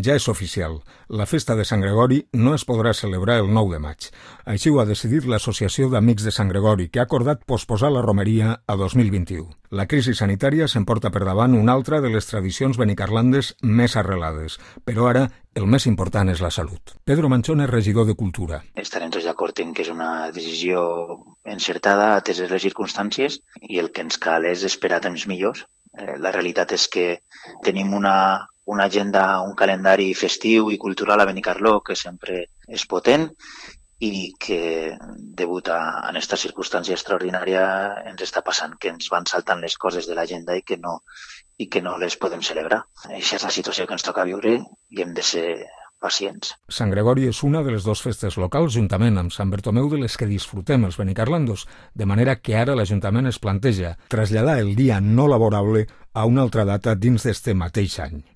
Ja és oficial, la festa de Sant Gregori no es podrà celebrar el 9 de maig. Així ho ha decidit l'Associació d'Amics de Sant Gregori, que ha acordat posposar la romeria a 2021. La crisi sanitària s'emporta per davant una altra de les tradicions benicarlandes més arrelades, però ara el més important és la salut. Pedro Manchón és regidor de Cultura. Estarem tots d'acord en que és una decisió encertada, ateses les circumstàncies, i el que ens cal és esperar temps millors. La realitat és que tenim una agenda, un calendari festiu i cultural a Benicarló que sempre és potent i que, degut a aquesta circumstància extraordinària, ens està passant que ens van saltant les coses de l'agenda i que no les podem celebrar. Aquesta és la situació que ens toca viure i hem de ser pacients. Sant Gregori és una de les dues festes locals, juntament amb Sant Bertomeu, de les que disfrutem els benicarlandos, de manera que ara l'Ajuntament es planteja traslladar el dia no laborable a una altra data dins d'este mateix any.